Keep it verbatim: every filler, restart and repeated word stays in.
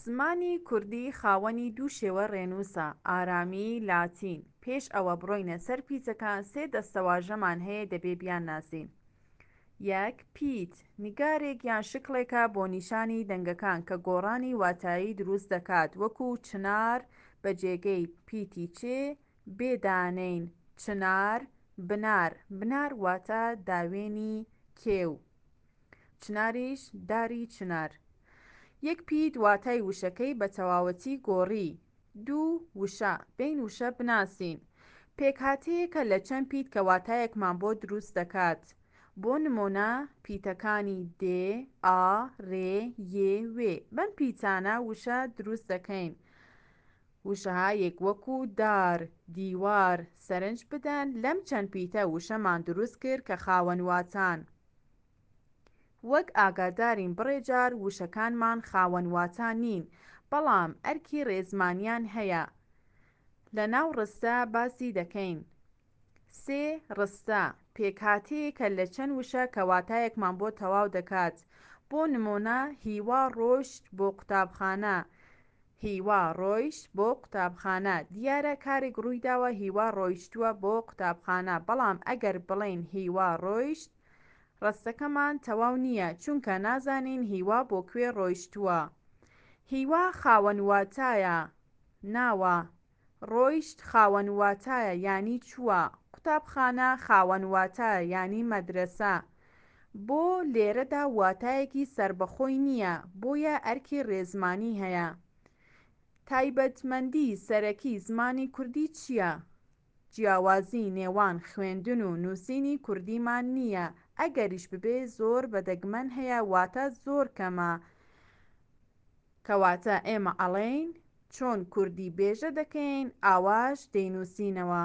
زمانی کوردی خاوەنی دوو شێوە ڕێنووسە، ئارامی، لاتین. پێش ئەوە بڕۆینە سەر پیتەکان سێ دەستەواژەمان هەیە دەبێ بیانناسین. یەک، پیت، نیگارێک یان شکڵێکە بۆ نیشانی دەنگەکان کە گۆڕانی واتایی دروست دەکات، وەکو چنار بە جێگەی پیتی چ بێ دانێین چنار، بنار، بنار واتە داوێنی کێو، چناریش داری چنار. یەک پیت واتای وشەکەی بە تەواوەتی گۆڕی. دوو، وشە، بێین وشە بناسین. پێکهاتەیەکە لە چەند پیت کە واتایەکمان بۆ دروست دەکات. بۆ نمونە پیتەکانی دێ، ئا، رێ، یێ، وێ. بەم پیتانە وشە دروست دەکەین. وشەهایەک وەکو دار، دیوار. سەرنج بدەن لەم چەند پیتە وشەمان دروست کرد کە خاوەن واتان. وەک ئاگادارین بڕێ جار وشەکانمان خاوەن واتا نین، بەڵام ئەرکی ڕێزمانیان هەیە. لە ناو ڕستە باسی دەکەین. سێ، ڕستە، پێکهاتەیەکە لە چەند وشە کە واتایەکمان بۆ تەواو دەکات. بۆ نمونە هیوا ڕۆیشت بۆ قوتابخانە. هیوا ڕۆیشت بۆ قوتابخانە. دیارە کارێک ڕوویداوە هیوا ڕۆیشتووە بۆ قوتابخانە، بەڵام ئەگەر بڵێین هیوا ڕۆیشت ڕستەکەمان تەواو نییە، چونکە نازانین هیوا بۆ کوێ ڕۆیشتووە. هیوا خاوەن واتایە، ناوە. ڕۆیشت خاوەن واتایە یانی چووە. قوتابخانە خاوەن واتایە یانی مەدرەسە. بۆ لێرەدا واتایەکی سەربەخۆی نییە، بۆیە ئەرکی ڕێزمانی هەیە. تایبەتمەندی سەرەکی زمانی کوردی چییە؟ جیاوازی نێوان خوێندن و نووسینی کوردیمان نییە، ئەگەریش ببێ زۆر بە دەگمەن هەیە، واتە زۆر کەمە. کەواتە ئێمە ئەڵێین چۆن کوردی بێژە دەکەین ئاواش دەینووسینەوە.